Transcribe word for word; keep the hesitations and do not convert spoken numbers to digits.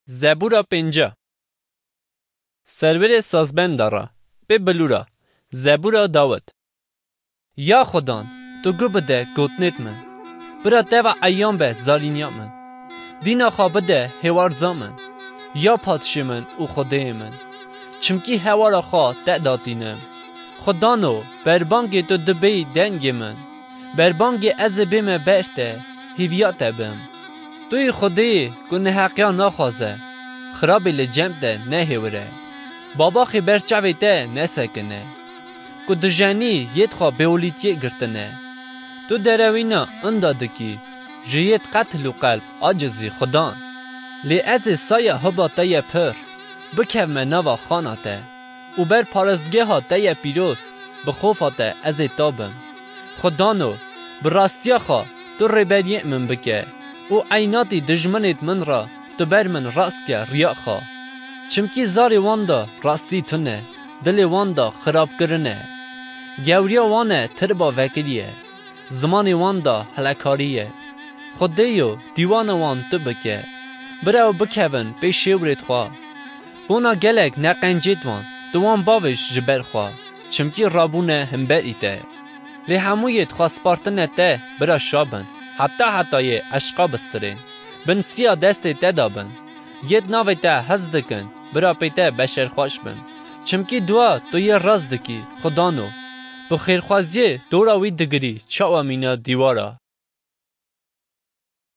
Zebûra pênca. Serwêrê sazbenda re, pê bilûra, Zebûra Dawid. Ya Xudan, tu gu bide gotinêt min. Bira teva eyan be zalîniya min. Dîna xwe bide hêwarza min. Ya padşê min û Xwedêyê min. Çimkî hewara xwe te datînim. Xwedano, berbangê tu dibêyî dengê min. Berbangê ez ê bême ber te, hîviya te bim. Tu yî Xwedêyê ku neheqiya naxwaze, xirabê li cem te nehêwire. Babaxê ber çavê te nesekine. Ku dijenî yêd xwe bêolîtiyê girtine. Tu derewîna inda dikî, ji yêd qetil û qelb acizî Xudan. Lê ez ê saya hiba te ye pir, bikevme nava xana te û ber parastgeha te ye pîroz, bi xofa te ez ê tabim. Xwedano, bi rastiya xwe tu rêberiyê min bike û eynatî dijminêt min re tu ber min rast ke riya xwe. Çimkî zarê wan de rastî tune, dilê wan de xirabkirin e. Gewriya wan e tirba vekirî ye, zimanê wan de helekarî ye. Xwedêyo, dîwana wan tu bike. Bira ew bikevin pê şêwrêt xwe. Bona gelek neqencêt wan, tu wan bavêj ji ber xwe, çimkî rabûne himberî te. Lê hemû yêd xwe spartine te, bira şa bin, heta hetayê eşqa bistirên. Bin siya destê te de bin. Yêd navê te hez dikin, bira pê te beşerxweş bin. Çimkî dua tu yê rast dikî, Xwedano. Bi xêrxwaziyê dora wî digirî, çawa mîna dîwara.